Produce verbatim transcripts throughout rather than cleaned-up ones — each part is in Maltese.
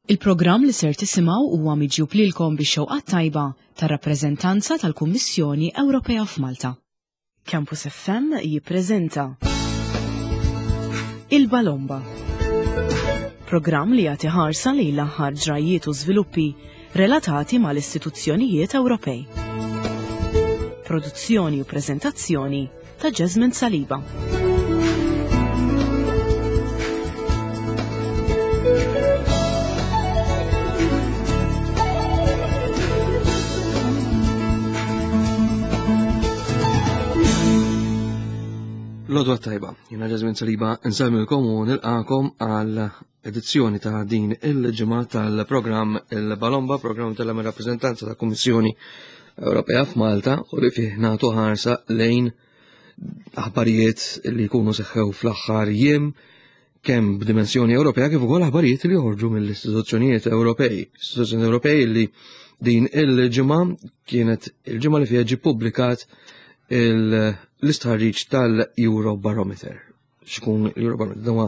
Il-programm li ser tisimgħu huwa miġjub lilkom bix-xewqat tajba tar-rappreżentanza tal-Kummissjoni Ewropea f'Malta. Campus F M jippreżenta Il-Balomba. Programm li jagħti ħarsa lejn l-aħħar ġrajiet u żviluppi relatati mal-istituzzjonijiet Ewropej. Produzzjoni u preżentazzjoni ta' Jasmine Saliba. L-għodwa t-tajba, jiena Jasmine Saliba, nsellmilkom u nilqagħkom għal edizzjoni ta' din il-ġimgħa tal-programm Il-Balomba, programm tal-rappreżentanza ta' Kummissjoni Ewropea f'Malta u li fih nagħtu ħarsa lejn aħbarijiet li jkunu seħħew fl-aħħar jiem, kemm b'dimensjoni Ewropea kif ukoll aħbarijiet li joħorġu mill-istituzzjonijiet Ewropej. Istituzzjoni Ewropej li din il-ġimgħa kienet il-ġimgħa li fiha ġie ppubblikat l-istħarriġ tal-Eurobarometer. X'ikun l-Eurobarometer? Dan huwa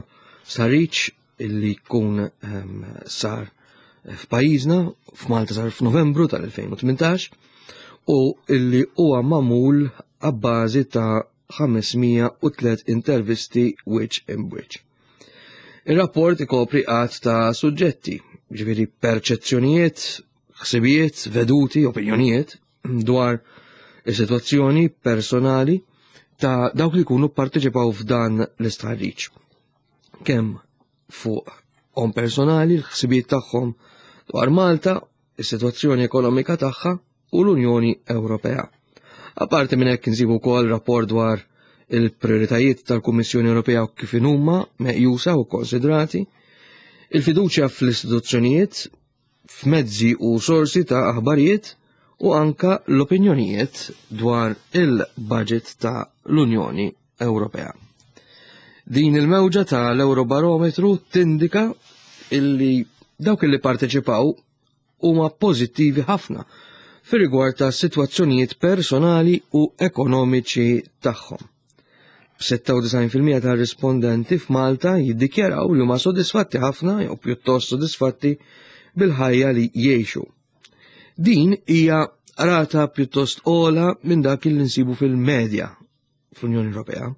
stħarriġ illi jkun ehm, sar f'pajjiżna, f'Malta sar f'Novembru tal-elfejn u tmintax, u illi huwa magħmul abbażi ta' ħames mija u tliet intervisti wiċċ imb'wiċċ. Ir-rapport ikopri għadd ta' suġġetti, ġifieri perċezzjonijiet, ħsibijiet, veduti, opinjonijiet dwar is-sitwazzjoni personali ta' dawk li jkunu parteċipaw f'dan l-istħarriġ. Kemm fuq on personali, l-ħsibijiet tagħhom dwar Malta, is-sitwazzjoni ekonomika tagħha u l-Unjoni Ewropea. Apparti minn hekk, insibu wkoll rapport dwar il-prioritajiet tal-Kummissjoni Ewropea u kif huma meqjusa u konsidrati, il-fiduċja fl-istituzzjonijiet, f'mezzi u sorsi ta' aħbarijiet u anka l-opinjonijiet dwar il-budget ta' l-Unjoni Ewropea. Din il-mewġa ta' l-Eurobarometru tindika illi dawk illi parteċipaw huma pożittivi ħafna fir rigward ta' sitwazzjonijiet personali u ekonomiċi tagħhom. B'sitta u disgħin fil-mija ta' rispondenti f'Malta jiddikjaraw li huma sodisfatti ħafna jew pjuttost sodisfatti bil-ħajja li jgħixu. Din hija rata pjuttost ogħla minn dak li nsibu fil-medja fl-Unjoni Ewropea.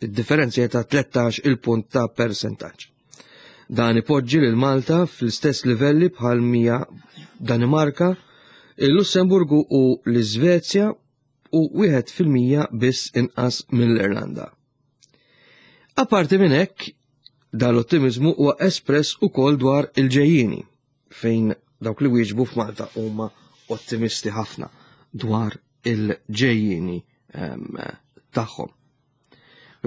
Id-differenza hija ta' tlettax il-punt ta' percentaġġ. Dan ipoġġi lil Malta fl-istess livelli bħal mija Danimarka, il-Lussemburgu u l-Iżvezja u wieħed fil-mija biss inqas mill-Irlanda. Apparti minn hekk, dal-ottimizmu huwa espress ukoll dwar il-ġejjieni, fejn dawk li wieġbu f'Malta huma ottimisti ħafna dwar il-ġejjieni ehm, tagħhom.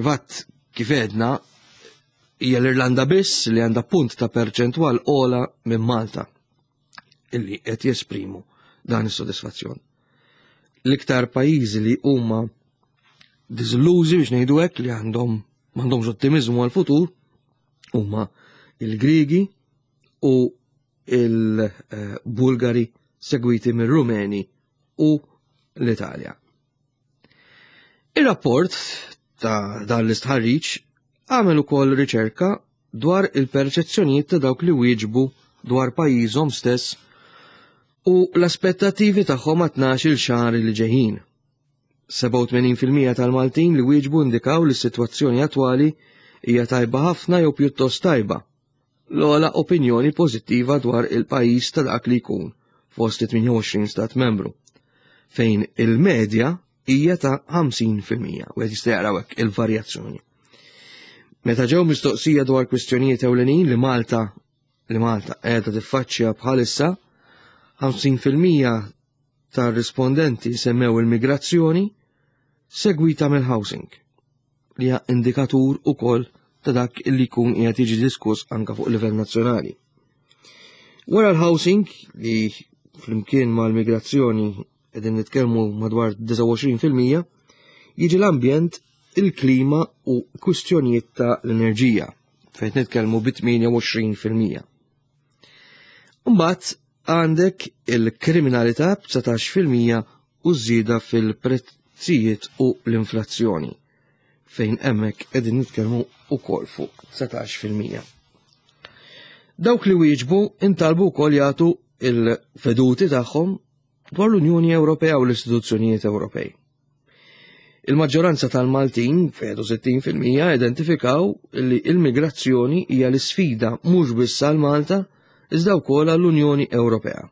Fatt, kif għedna, hija l-Irlanda biss li għandha punt ta' perċentwal ogħla minn Malta illi qed jesprimu dan is-sodisfazzjon. L-iktar pajjiżi li huma diżillużi, biex ngħidu hekk, li għandhom m'għandhomx ottimiżmu għal-futur, huma il-Grigi u il-Bulgari, segwiti mir-Rumeni u l-Italja. Il-rapport ta' dan l-istħarriġ għamel ukoll riċerka dwar il-perċezzjonijiet ta' dawk li wieġbu dwar pajjiżhom stess u l-aspettativi tagħhom għat-tnax-il xahar li ġejjin. sebgħa u tmenin fil-mija tal-Maltin li wieġbu indikaw li s-sitwazzjoni attwali hija tajba ħafna jew pjuttost tajba. L-ogħla opinjoni pożittiva dwar il-pajjiż ta' dak li jkun fost tmienja u għoxrin stat membru, fejn il-medja hija ta' ħamsin fil-mija, u qed jista' jaraw hekk il-varjazzjoni. Meta ġew mistoqsija dwar kwistjonijiet ewlenin li Malta li Malta qiegħda tiffaċċja bħalissa, ħamsin fil-mija tar-rispondenti semmew il-migrazzjoni, segwita mill-housing, li hija indikatur ukoll ta' dak illi jkun qiegħed jiġi diskuss anka fuq livell nazzjonali. Wara l-housing, li flimkien mal-migrazzjoni qegħdin nitkellmu madwar disgħa u għoxrin fil-mija, jiġi l-ambjent, il-klima u kwistjonijiet ta' l-enerġija, fejn nitkellmu bi tmienja u għoxrin fil-mija. Mbagħad għandek il-kriminalità b'dsatax fil-mija u żieda fil-prezzijiet u l-inflazzjoni, fejn hemmhekk qegħdin nitkellmu ukoll fuq dsatax fil-mija. Dawk li wieġbu intalbu wkoll jagħtu il-veduti tagħhom dwar l-Unjoni Ewropea u l-istituzzjonijiet Ewropej. Il-maġġoranza tal-Maltin, sittin fil-mija, identifikaw li il-migrazzjoni hija l-isfida mhux biss għal Malta, iżda wkoll għall-Unjoni Ewropea.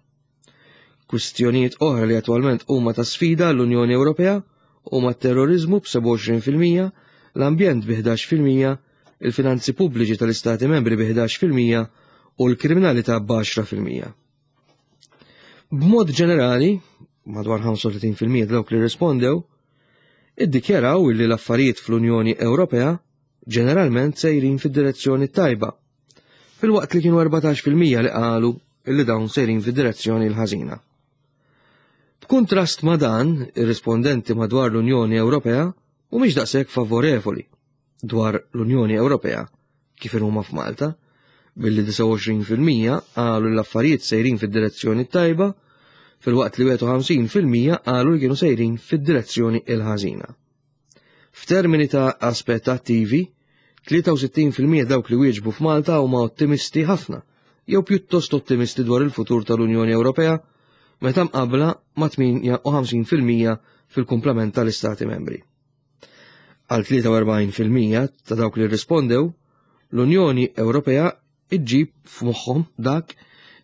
Kwistjonijiet oħra li attwalment huma ta' sfida għall-Unjoni Ewropea huma t-terrorizmu b'sebgħa u għoxrin fil-mija, l-ambjent bi ħdax fil-mija, il-finanzi pubbliċi tal-Istati membri bi ħdax fil-mija u l-kriminalità b'għaxra fil-mija. B'mod ġenerali, madwar ħamsa u tletin fil-mija dawk li rispondew, iddikjaraw li l-affarijiet fl-Unjoni Ewropea ġeneralment sejrin fid-direzzjoni tajba, filwaqt li kienu erbatax fil-mija li qalu li dawn sejrin fid-direzzjoni l-ħażina. B'kuntrast ma' dan, ir-rispondenti madwar l-Unjoni Ewropea mhumiex daqshekk favorevoli dwar l-Unjoni Ewropea kif huma f'Malta, billi disgħa u għoxrin fil-mija qalu l-affarijiet sejrin fid-direzzjoni tajba, filwaqt li wieħed u ħamsin fil-mija qalu li kienu sejrin fid-direzzjoni il-ħażina. F'termini ta' aspettattivi, tlieta u sittin fil-mija dawk li wieġbu f'Malta huma ottimisti ħafna, jew pjuttost ottimisti dwar il-futur tal-Unjoni Ewropea, meta mqabla ma' tmienja u ħamsin fil-mija fil-kumplament tal-Istati membri. Għal tlieta u erbgħin fil-mija ta' dawk li rispondew, l-Unjoni Ewropea iġġib f'moħħhom dak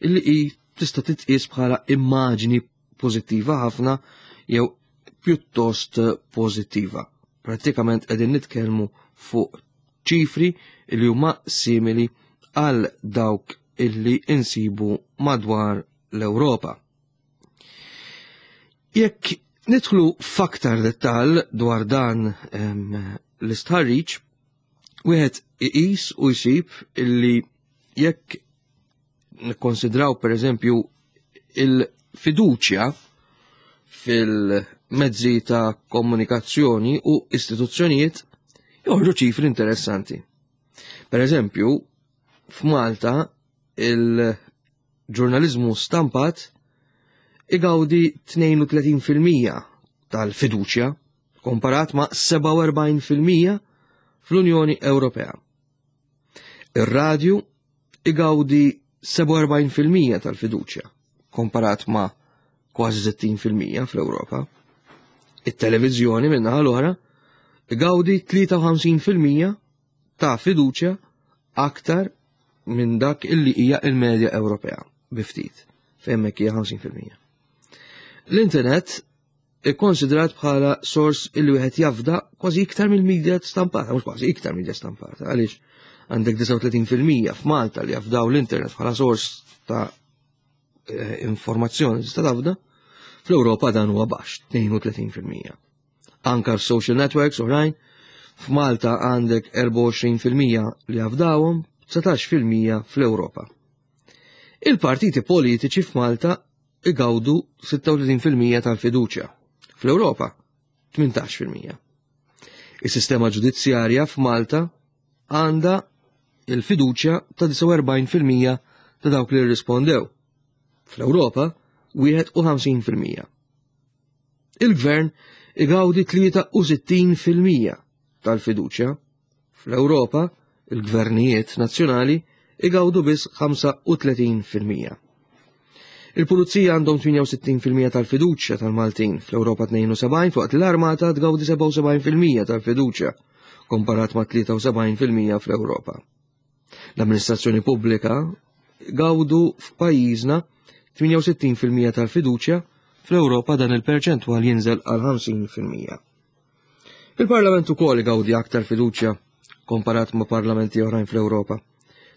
illi hi tista' titqies bħala immaġni pożittiva ħafna jew pjuttost pożittiva. Prattikament qegħdin nitkellmu fuq ċifri li huma simili għal dawk illi insibu madwar l-Ewropa. Jekk nidħlu f'aktar dettall dwar dan l-istħarriġ, wieħed iqis u jsib illi jekk nikkonsidraw, per eżempju, il-fiduċja fil-mezzi ta' komunikazzjoni u istituzzjonijiet, joħorġu ċifri interessanti. Per eżempju, f'Malta il-ġurnalizmu stampat igawdi tnejn u tletin fil-mija tal-fiduċja komparat ma' sebgħa u erbgħin fil-mija fl-Unjoni Ewropea. Ir-radju igawdi sebgħa u erbgħin fil-mija tal-fiduċja komparat ma' kważi sittin fil-mija fl-Ewropa. It-televiżjoni, min-naħa l-oħra, igawdi tlieta u ħamsin fil-mija ta' fiduċja, aktar minn dak illi hija il-medja Ewropea biftit, fejn hija ħamsin fil-mija. L-internet ikkonsidrat bħala sors illi wieħed jafda kważi iktar mill-medja stampata, mhux kważi, iktar media stampata, għaliex għandek disgħa u tletin fil-mija f'Malta li jafdaw l-internet bħala sors ta' eh, informazzjoni tista' tafda, fl-Ewropa dan huwa baxx, tnejn u tletin fil-mija. Anka social networks oħrajn, f'Malta għandek erbgħa u għoxrin fil-mija li jafdawhom, dsatax fil-mija fl-Ewropa. Il-partiti politiċi f'Malta igawdu sitta u tletin fil-mija tal-fiduċja. Fl-Ewropa tmintax fil-mija. Is-sistema ġudizzjarja f'Malta għandha il-fiduċja ta' disgħa u erbgħin fil-mija ta' dawk li rrispondew. Fl-Ewropa wieħed u ħamsin fil-mija. Il-gvern igawdi tlieta u sittin fil-mija tal-fiduċja. Fl-Ewropa il-gvernijiet nazzjonali igawdu biss ħamsa u tletin fil-mija. Il-pulizija għandhom tmienja u sittin fil-mija tal-fiduċja tal-Maltin, fl-Ewropa tnejn u sebgħin, filwaqt l-armata tgawdi sebgħa u sebgħin fil-mija tal-fiduċja, komparat ma' tlieta u sebgħin fil-mija fl-Ewropa. L-amministrazzjoni pubblika gawdu f'pajjiżna tmienja u sittin fil-mija tal-fiduċja, fl-Ewropa dan il-perċentwal jinżel għal ħamsin fil-mija. Il-Parlament ukoll gawdi aktar fiduċja komparat ma' parlamenti oħrajn fl-Ewropa.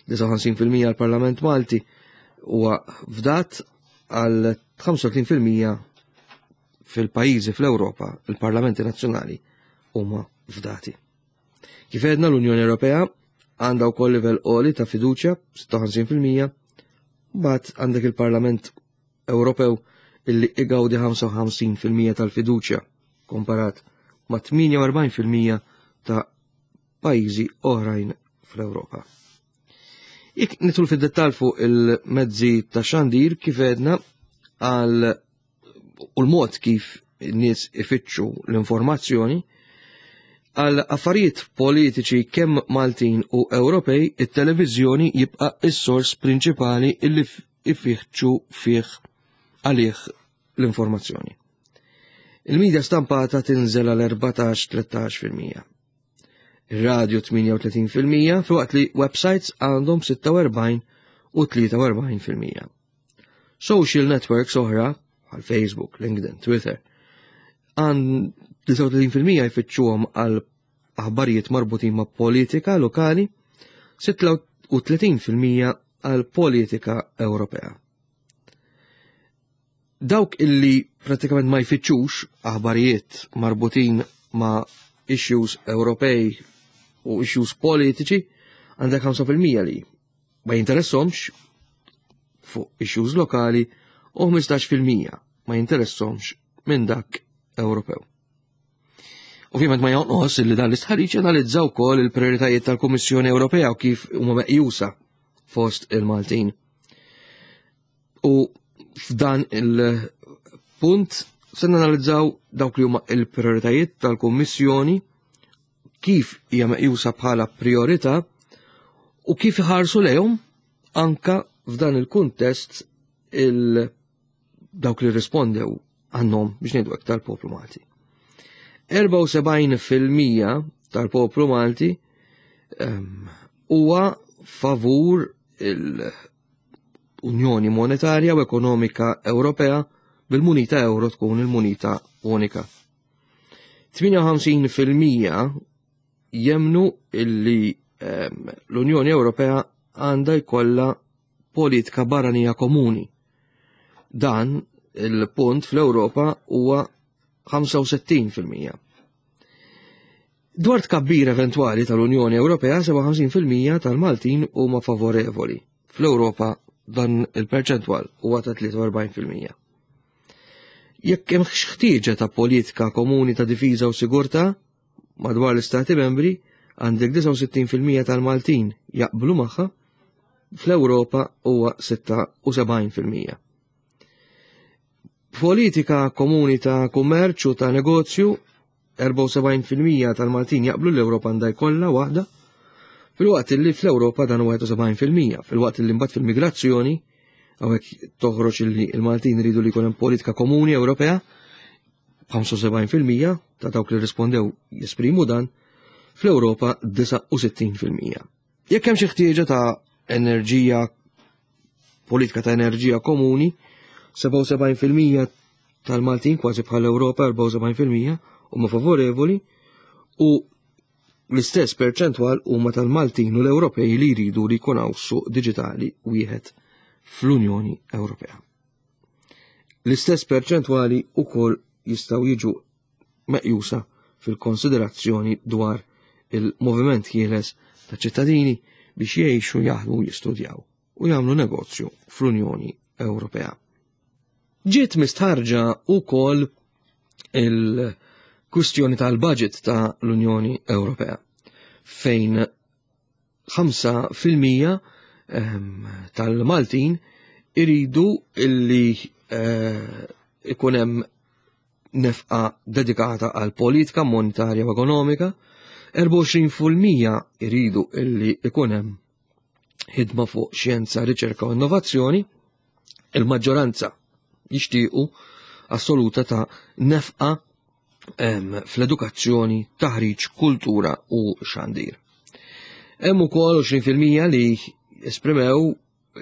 disgħa u ħamsin fil-mija għal-Parlament Malti huwa fdat, għal ħamsa u tletin fil-mija fil-pajjiżi fl-Ewropa il-parlamenti nazzjonali huma fdati. Kif għedna, l-Unjoni Ewropea għandha wkoll livell għoli ta' fiduċja, sitta u ħamsin fil-mija, mbagħad għandek il-Parlament Ewropew illi igawdi ħamsa u ħamsin fil-mija tal-fiduċja komparat ma' tmienja u erbgħin fil-mija ta' pajjiżi oħrajn fl-Ewropa. Jekk nidħlu fid-dettal fuq il-mezzi ta' xandir, kif għedna, għal u l-mod kif n-nies ifittxu l-informazzjoni, Għal affarijiet politiċi kemm Maltin u Ewropej, it-televiżjoni jibqa' is-sors prinċipali illi ifittxu fih għalih l-informazzjoni. Il-medja stampata tinżel għal erbatax tlettax fil-mija. Ir-radio tmienja u tletin fil-mija, filwaqt li websites għandhom sitta u erbgħin u tlieta u erbgħin fil-mija. Social networks oħra, bħal Facebook, LinkedIn, Twitter, għand disgħa u tletin fil-mija jfittxuhom għal aħbarijiet marbutin ma' politika lokali, sitta u tletin fil-mija għal politika Ewropea. Dawk illi pratikament ma jfittxux aħbarijiet marbutin ma' issues Ewropej u issues politiċi, għandek ħamsa fil-mija li ma jinteressomx fuq issues lokali u ħmistax fil-mija ma jinteressomx minn dak Ewropew. Ovvjament ma jonqos li dan l-istħarriġ analizza wkoll il-prioritajiet tal-Kummissjoni Ewropea u kif huma meqjusa fost il-Maltin. U f'dan il-punt se nanalizzaw dawk li huma il-prioritajiet tal-Kummissjoni, kif hija meqjusa bħala priorità u kif iħarsu lejhom anka f'dan il-kuntest il dawk li rispondew għannom, biex ngħidu hekk, tal-poplu Malti. erbgħa u sebgħin fil-mija tal-poplu Malti huwa favur il-Unjoni Monetarja u Ekonomika Ewropea bil-munita euro tkun il-munita unika. tmienja u ħamsin fil-mija jemnu illi l-Unjoni Ewropea għandha jkollha politika barranija komuni. Dan il-punt fl-Ewropa huwa ħamsa u sittin fil-mija. Dwar tkabbir eventwali tal-Unjoni Ewropea, sebgħa u ħamsin fil-mija tal-Maltin huma favorevoli. Fl-Ewropa dan il-perċentwal huwa ta' tlieta u erbgħin fil-mija. Jekk hemm ħtieġa ta' politika komuni ta' difiża u sigurtà madwar l-Istati membri, għandek disgħa u sittin fil-mija tal-Maltin jaqblu magħha, fl-Ewropa huwa sitta u sebgħin fil-mija. Politika komuni ta' kummerċ u ta' negozju, erbgħa u sebgħin fil-mija tal-Maltin jaqblu l-Ewropa għandha jkollha waħda, filwaqt li fl-Ewropa dan huwa wieħed u sebgħin fil-mija, filwaqt li mbagħad fil-migrazzjoni hawnhekk toħroġ li l-Maltin iridu li jkun hemm politika komuni Ewropea, ħamsa u sebgħin fil-mija ta' dawk li rispondew jesprimu dan, fl-Ewropa disgħa u sittin fil-mija. Jekk hemm xi ħtieġa ta' enerġija, politika ta' enerġija komuni, sebgħa u sebgħin fil-mija tal-Maltin, kważi bħal Ewropa, erbgħa u sebgħin fil-mija huma favorevoli u l-istess perċentwal huma tal-Maltin u l-Ewropej li jridu li jkun hawn suq diġitali wieħed fl-Unjoni Ewropea. L-istess perċentwali wkoll jistgħu jiġu meqjusa fil-konsiderazzjoni dwar il-moviment ħieles ta' ċittadini biex jgħixu, jaħdmu, jistudjaw u jagħmlu negozju fl-Unjoni Ewropea. Ġiet mistħarġa wkoll il-kwistjoni tal-budget ta' l-Unjoni Ewropea, fejn ħamsa fil-mija ehm, tal-Maltin iridu illi eh, ikun hemm nefqa dedikata għal politika monetarja u ekonomika, erbgħa u għoxrin fil-mija iridu illi ikun hemm ħidma fuq xjenza, riċerka u innovazzjoni, il-maġġoranza jixtiequ assoluta ta' nefqa fl-edukazzjoni, taħriġ, kultura u xandir. Hemm ukoll għoxrin fil-mija li esprimew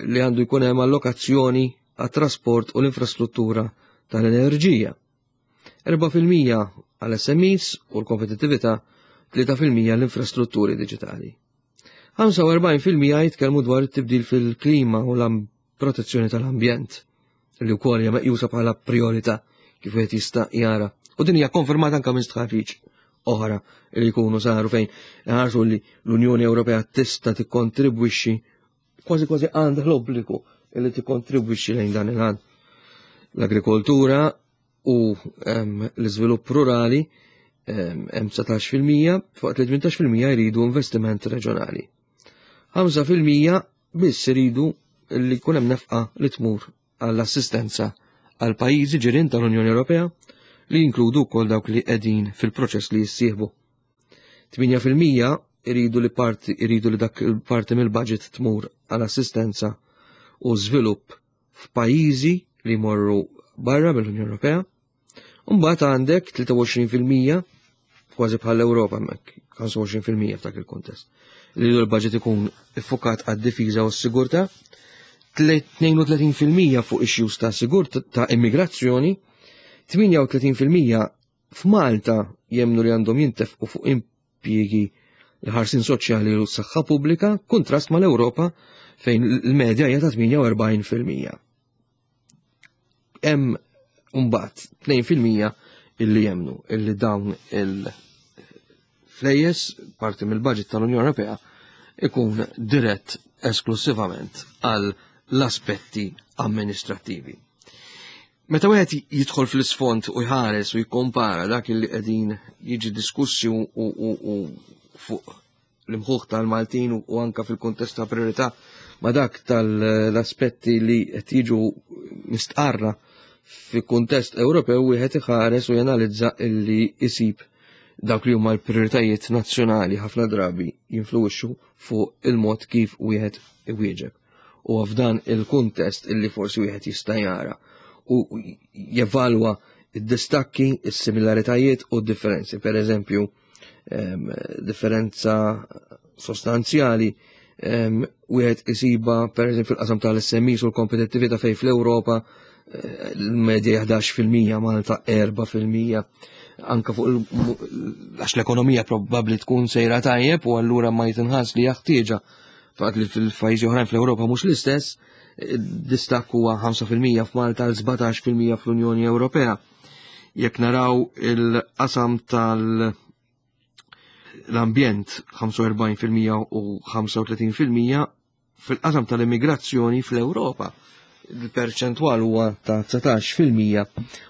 li għandu jkun hemm allokazzjoni għat-trasport u l-infrastruttura tal-enerġija. erbgħa fil-mija għal S M Es u l-kompetittività, tlieta fil-mija l-infrastrutturi diġitali. ħamsa u erbgħin fil-mija jitkellmu dwar it-tibdil fil-klima u l-protezzjoni tal-ambjent, li wkoll hija meqjusa bħala priorità kif wieħed jista' jara. U din hija konfermata anke minn stħarriġ oħra li jkunu saru fejn ħarsu li l-Unjoni Ewropea tista' tikkontribwixxi, kważi kważi għandha l-obbligu li tikkontribwixxi lejn dan il-għan. L-agrikoltura u l-iżvilupp rurali hemm dsatax fil-mija, fuq li tmintax fil-mija jridu investiment reġjonali. ħamsa fil-mija biss iridu li jkun hemm nefqa li tmur għall-assistenza għal pajjiżi ġirien tal-Unjoni Ewropea, li jinkludu wkoll dawk li qegħdin fil-proċess li jissieħbu. tmienja fil-mija iridu li parti, iridu li dak il-parti mill-budget tmur għal assistenza u żvilupp f'pajjiżi li jmorru barra mill-Unjoni Ewropea. Mbagħad għandek tlieta u għoxrin fil-mija, kważi bħal Ewropa hemmhekk, ħamsa u għoxrin fil-mija f'dak il-kuntest, li l-budget ikun iffukat għad-difiża u s-sigurtà, tnejn u tletin fil-mija fuq issues ta' sigurtà ta' immigrazzjoni, tmienja u tletin fil-mija f'Malta jemnu li għandhom jintefqu fuq impjiegi l-ħarsien soċjali u s-saħħa pubblika, kontrast mal-Ewropa fejn l-medja hija ta' tmienja u erbgħin fil-mija. Hemm mbagħad tnejn fil-mija illi jemnu illi dawn il-flejjes parti mill-budget tal-Unjoni Ewropea ikun dirett esklusivament għal l-aspetti amministrattivi. Meta wieħed jidħol fl-isfond u jħares u jikkompara dak illi qegħdin jiġi diskussi u, u, u, u fuq l-imħuħ tal-Maltin u, u anka fil-kuntest ta' priorità ma' dak tal-aspetti li qed jiġu mistqarra fi kuntest Ewropew, wieħed iħares u janalizza illi isib dawk li huma l-prioritajiet nazzjonali ħafna drabi jinfluwixxu fuq il-mod kif wieħed iwieġeb. U f'dan il-kuntest illi forsi wieħed jista' jara u jevalwa id-distakki, is-similaritajiet u d-differenzi. Per eżempju, em, differenza sostanzjali, em, wieħed isiba per eżempju fil-qasam tal-S M Es u l-kompetittività fejn fl-Ewropa, eh, l-medja ħdax fil-mija, Malta erba' fil-mija, anka fuq il-, għax l-ekonomija probabbli tkun sejra tajjeb u allura ma jitinħass li jaħtieġa faqt li fil-pajjiżi oħrajn fl-Ewropa mhux l-istess, distakk huwa ħamsa fil-mija f'Malta għal sbatax fil-mija fl-Unjoni Ewropea. Jekk naraw il-qasam tal- l-ambjent ħamsa u erbgħin fil-mija u ħamsa u tletin fil-mija, fil-qasam tal-immigrazzjoni fl-Ewropa il-perċentwal huwa ta' dsatax fil-mija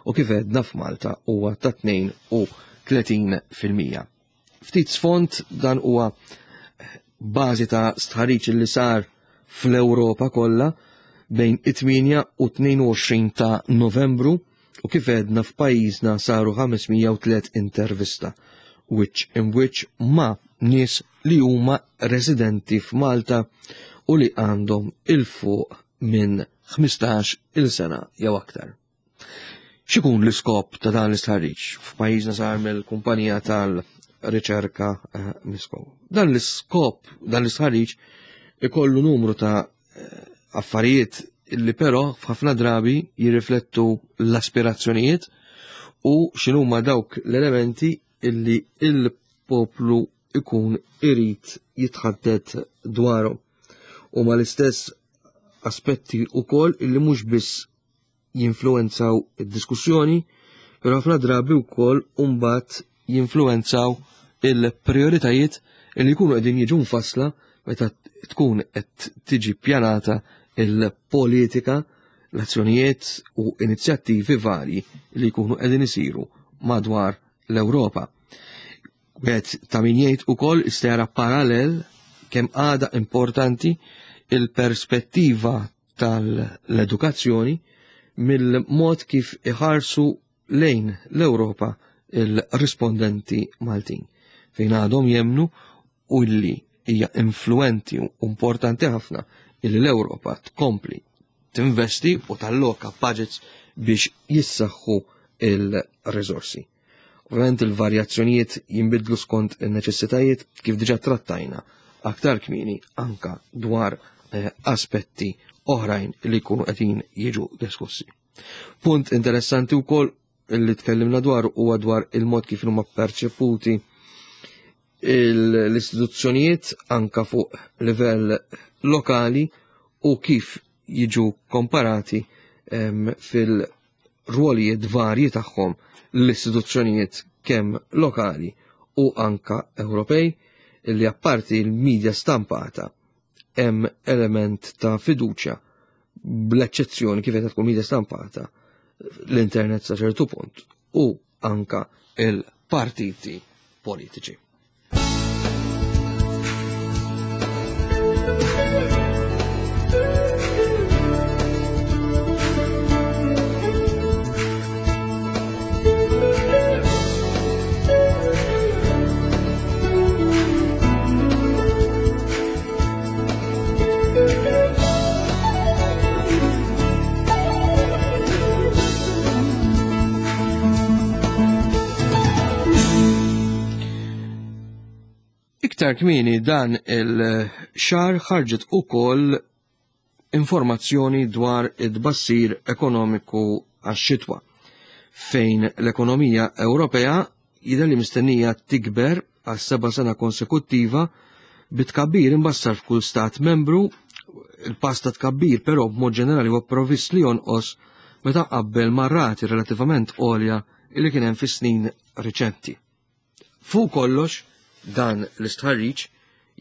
u kif għedna f'Malta huwa ta' tnejn u tletin fil-mija. Ftit sfond dan huwa bażi ta' stħarriġ li sar fl-Ewropa kollha bejn it-tmienja u tnejn u għoxrin ta' Novembru u kif għedna f'pajjiżna saru ħames mija u tliet intervista, which in which ma' nies li huma residenti f'Malta u li għandhom il-fuq minn ħmistax il sena jew aktar. X'ikun l-iskop ta' dan l-istħarriġ? F'pajjiżna sar mill-kumpanija tal-riċerka, eh, Misco. Dan l-iskop, dan l-istħarriġ ikollu numru ta', eh, affarijiet illi però f'ħafna drabi jirriflettu l-aspirazzjonijiet u x'inhuma dawk l-elementi illi il-poplu ikun irid jitħaddet dwarhom. U ma l-istess aspetti wkoll illi mhux biss jinfluwenzaw id-diskussjoni, però ħafna drabi wkoll mbagħad jinfluwenzaw il-prioritajiet illi jkunu qegħdin jiġu mfassla meta tkun qed tiġi ppjanata il-politika, l-azzjonijiet u inizjattivi varji li jkunu qegħdin isiru madwar l-Ewropa. Wieħed ta' min jgħid ukoll jista' jara parallel kemm għadha importanti il-perspettiva tal-edukazzjoni mill-mod kif iħarsu lejn l-Ewropa il-rispondenti Maltin, fejn għadhom jemnu u li hija influenti u importanti ħafna illi l-Ewropa tkompli tinvesti u talloka budgets biex jissaħħu il-riżorsi. Ovvjament il-varjazzjonijiet jinbidlu skont in-neċessitajiet kif diġà trattajna aktar kmieni anka dwar, eh, aspetti oħrajn li jkunu qegħdin jiġu diskussi. Punt interessanti wkoll li tkellimna dwar huwa dwar il-mod kif huma perċeputi il-, l-istituzzjonijiet anka fuq livell lokali u kif jiġu komparati, em, fil-rwolijiet varji tagħhom l-istituzzjonijiet kemm lokali u anka Ewropej, li apparti l-medja stampata hemm element ta' fiduċja bl-eċċezzjoni kif qed tkun medja stampata l-internet sa ċertu punt u anka il-partiti politiċi. Aktar kmieni dan il-xahar ħarġet ukoll informazzjoni dwar id-bassir ekonomiku għax-xitwa, fejn l-ekonomija Ewropea jidher li mistennija tikber għal seba' sena konsekuttiva bit-tkabbir imbassar f'kull stat membru. Il-pass ta' tkabbir però b'mod ġenerali huwa provvist li jonqos meta qabel ma' rati relattivament għolja li kien hemm fis-snin riċenti. Fuq kollox, dan l-istħarriġ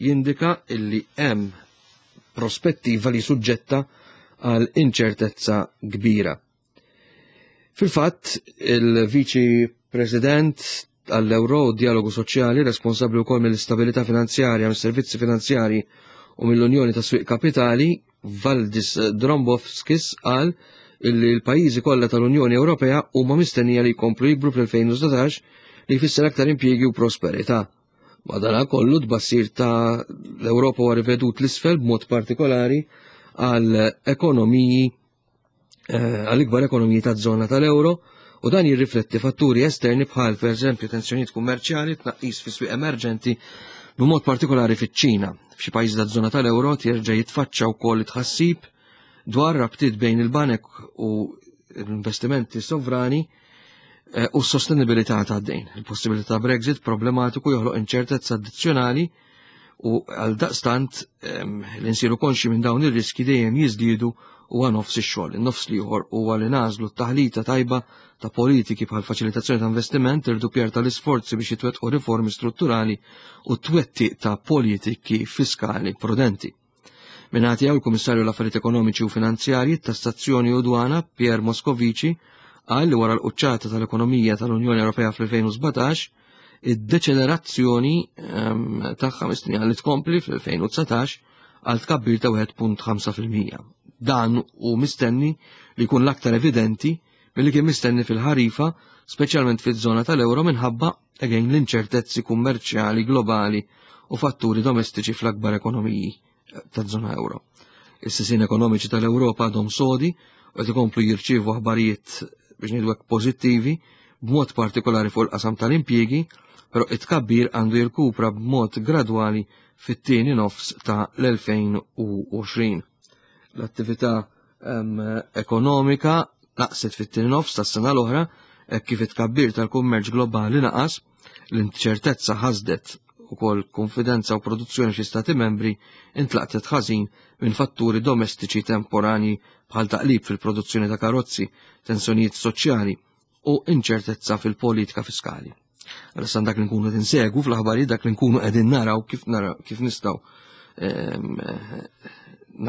jindika illi hemm prospettiva li suġġetta għal inċertezza kbira. Fil-fatt, il-Viċi President għall-Euro u Dialogu Soċjali, responsabbli wkoll mill-istabilità finanzjarja, mis-servizzi finanzjarji u mill-Unjoni ta' Swieq Kapitali, Valdis Dombrovskis, qal illi l-pajjiżi kollha tal-Unjoni Ewropea huma mistennija li jkomplu jikbru fl-elfejn u sbatax, li jfisser aktar impjiegi u prosperità. Madanakollu tbassir ta' l-Ewropa huwa rivedut l-isfel b'mod partikolari għal ekonomiji eh, għall-ikbar ekonomiji taż-żona tal-euro, u dan jirrifletti fatturi esterni bħal pereżempju tensjonijiet kummerċjali, tnaqqis fi swieq emerġenti b'mod partikolari fiċ-Ċina. F'xi pajjiżi taż-żona tal-euro jerġa' jitfaċċa wkoll tħassib dwar rabtiet bejn il-banek u l-investimenti sovrani eh, u s-sostenibilità tad-dejn. Il-possibilità Brexit problematiku joħloq inċertezza addizzjonali u għal daqstant ehm, li nsiru konxi minn dawn ir-riski dejjem jiżdiedu u għan nofs ix-xogħol. In-nofs l-ieħor huwa li nażlu t-taħlita tajba ta' politiki bħal faċilitazzjoni ta' investiment, irdupjar tal-isforzi biex jitwettqu riformi strutturali u twettiq ta' politiki fiskali prudenti. Mingħati għaw il-Kummissarju l-Affarijiet Ekonomiċi u Finanzjarji, Tassazzjoni u Dwana, Pierre Moscovici, qal li wara l-quċċata tal-ekonomija tal-Unjoni Ewropea fl-elfejn u sbatax, id-deċelerazzjoni, ehm, tagħha mistennija li tkompli fl-elfejn u dsatax għal tkabbir ta' wieħed punt ħamsa fil-mija. Dan hu mistenni li jkun l-aktar evidenti milli kien mistenni fil-ħarifa, speċjalment fiż-żona tal-euro minħabba again l-inċertezzi kummerċjali globali u fatturi domestiċi fl-akbar ekonomiji taż-żona euro. Is-sisien ekonomiċi tal-Ewropa għadhom sodi u qed ikomplu jirċievu aħbarijiet biex ngħidu hekk pożittivi, b'mod partikolari fuq il-qasam tal-impjiegi, però it-tkabbir għandu jirkupra b'mod gradwali fit-tieni nofs ta' l-elfejn u għoxrin. L-attività, ehm, ekonomika naqset fit-tieni nofs tas-sena l-oħra, hekk kif it-tkabbir tal-kummerċ globali naqas, l-inċertezza ħasdet ukoll konfidenza u produzzjoni xi stati membri intlaqtet ħażin minn fatturi domestiċi temporani bħal taqlib fil-produzzjoni ta' karozzi, tensjonijiet soċjali u inċertezza fil-politika fiskali. Għalissa dak li nkunu qed insegwu fl-aħbarijiet, dak li nkunu qegħdin naraw kif naraw, kif nistgħu, ehm,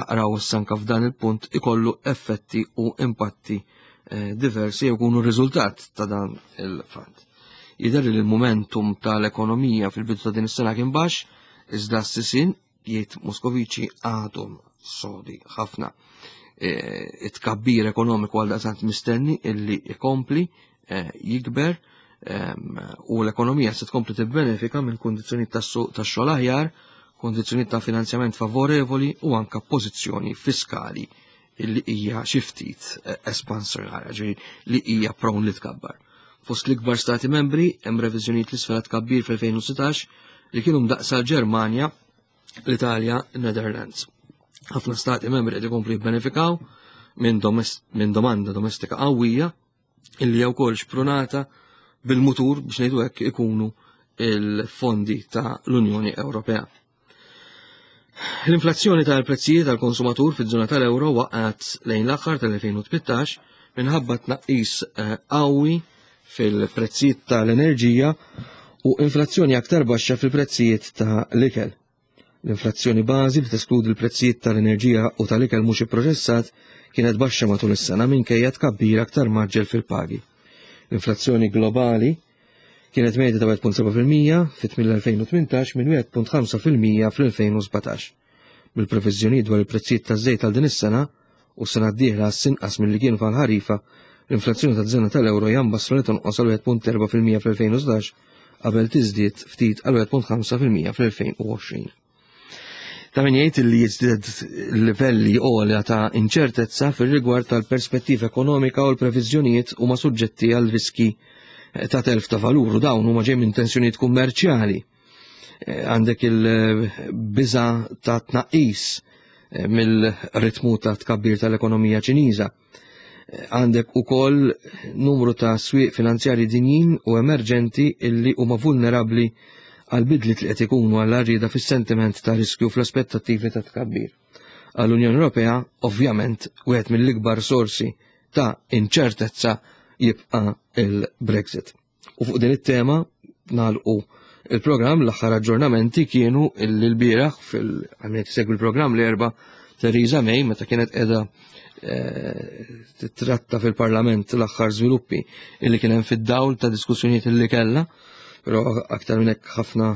naqraw s-sanka f'dan il-punt ikollu effetti u impatti, eh, diversi jew jkunu riżultat ta' dan il-fatt. Jidher li l-momentum tal-ekonomija fil-bidu ta' din is-sena kien baxx, iżda s-sisien jgħid Moscovici għadhom sodi ħafna. E, it-tkabbir ekonomiku għal daqstant mistenni illi ikompli, eh, jikber, ehm, u l-ekonomija se tkompli tibbenefika minn kundizzjonijiet tas-suq tax-xogħol aħjar, kundizzjonijiet ta' finanzjament favorevoli u anka pożizzjoni fiskali illi hija xi ftit, eh, espansjonarja, ġifieri li hija prone li tkabbar. Fost l-ikbar stati membri hemm reviżjonijiet l-isfel tkabbir fl-elfejn u sittax li kienu mdaqsa l-Ġermanja, l-Italja, Netherlands. Ħafna stati membri qed ikomplu jibbenefikaw minn domest-, minn domanda domestika qawwija illi hija wkoll xprunata bil-mutur biex ngħidu hekk ikunu il-fondi ta' l-Unjoni Ewropea. L-inflazzjoni tal-prezzijiet tal-konsumatur fiż-żona tal-euro waqgħet lejn l-aħħar tal-elfejn u tmittax minħabba tnaqqis, eh, qawwi fil-prezzijiet tal-enerġija u inflazzjoni aktar baxxa fil-prezzijiet tal-ikel. L-inflazzjoni bażi li teskludi l-prezzijiet tal-enerġija u tal-ikel mhux ipproċessat kienet baxxa matul is-sena minkejja tkabbir aktar maġġel fil-pagi. L-inflazzjoni globali kienet medja ta' wieħed punt seba' fil-mija fit-tmiem l-elfejn u tmintax minn wieħed punt ħamsa fil-mija fl-elfejn u sbatax. Bil-previżjonijiet dwar il-prezzijiet taż-żejt għal din is-sena u s-sena d-dieħla sinqas milli kienu fal-ħarifa, l-inflazzjoni taż-żona tal-euro jambassru li tonqos għal wieħed punt erba' fil-mija fl-elfejn u sbatax qabel tiżdied ftit għal wieħed punt ħamsa fil-mija fl-elfejn u għoxrin. Ta' min jgħid li jiżdied livelli għolja ta' inċertezza fir-rigward tal-perspettiva ekonomika u l-previżjonijiet huma suġġetti għal riski ta' telf ta' valur u dawn huma ġej minn tensjonijiet kummerċjali. Għandek il-biża ta' tnaqqis mill-ritmu ta' tkabbir tal-ekonomija Ċiniża. Għandek ukoll numru ta' swieq finanzjari dinjin u emerġenti illi huma vulnerabbli għal bidliet li qed ikunu għal rieda fis-sentiment ta' riskju fl-aspettattivi ta' tkabbir. Għall-Unjoni Ewropea, ovvjament, wieħed mill-ikbar sorsi ta' inċertezza jibqa' il-Brexit. U fuq din it-tema nagħlqu il-programm. L-aħħar aġġornamenti kienu l-bieraħ fil-għamiet segwi l-programm l-Erbgħa, Theresa May, meta kienet qiegħda titratta fil-Parlament l-aħħar żviluppi illi kien hemm fid-dawl ta' diskussjonijiet illi kellha, però aktar minn hekk ħafna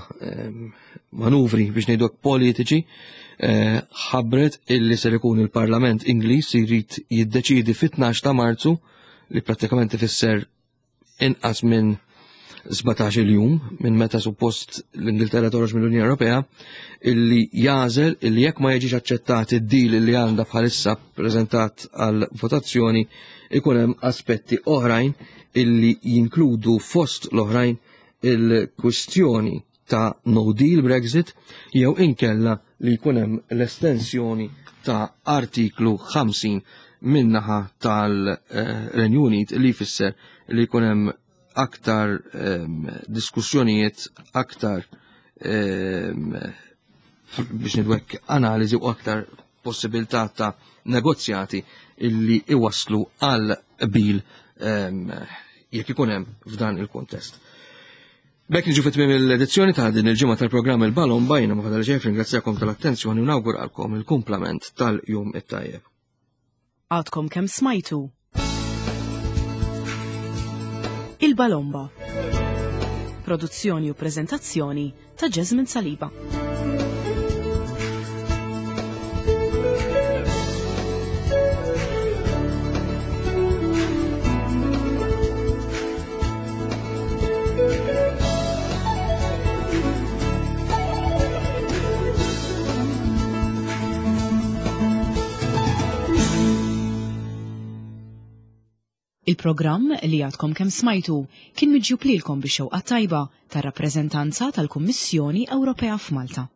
manuvri, biex ngħidu politiċi, ħabbret illi ser ikun il-Parlament Ingliż jrid jiddeċidi fit-tnax ta' Marzu, li prattikament ifisser inqas minn sbatax-il jum minn meta suppost l-Ingilterra toħroġ mill-Unjoni Ewropea, illi jagħżel illi jekk ma jiġix aċċettat id-deal illi għandha bħalissa preżentat għal votazzjoni, ikun hemm aspetti oħrajn illi jinkludu fost l-oħrajn il-kwistjoni ta' no deal Brexit jew inkella li jkun hemm l-estensjoni ta' artiklu ħamsin min-naħa tal-Renju Unit, li jfisser li jkun hemm aktar um, diskussjonijiet, aktar um, biex ngħidu analiżi u aktar possibilità ta' negozjati illi iwaslu għal qbil um, jekk ikun hemm f'dan il-kontest. B'hekk niġu fi tmiem l-edizzjoni ta' din il-ġimgħa tal-programm Il-Balomba. Jiena ma fadal ġejf ringrazzjakom tal-attenzjoni u nawguralkom il-kumplament tal-jum it-tajjeb. Għadkom kemm smajtu Il-Balomba. Produzzjoni u prezentazzjoni ta' Jasmine Saliba. Il-programm li għadkom kemm smajtu kien miġjub lilkom bix-xewqa tajba tar-rappreżentanza tal-Kummissjoni Ewropea f'Malta.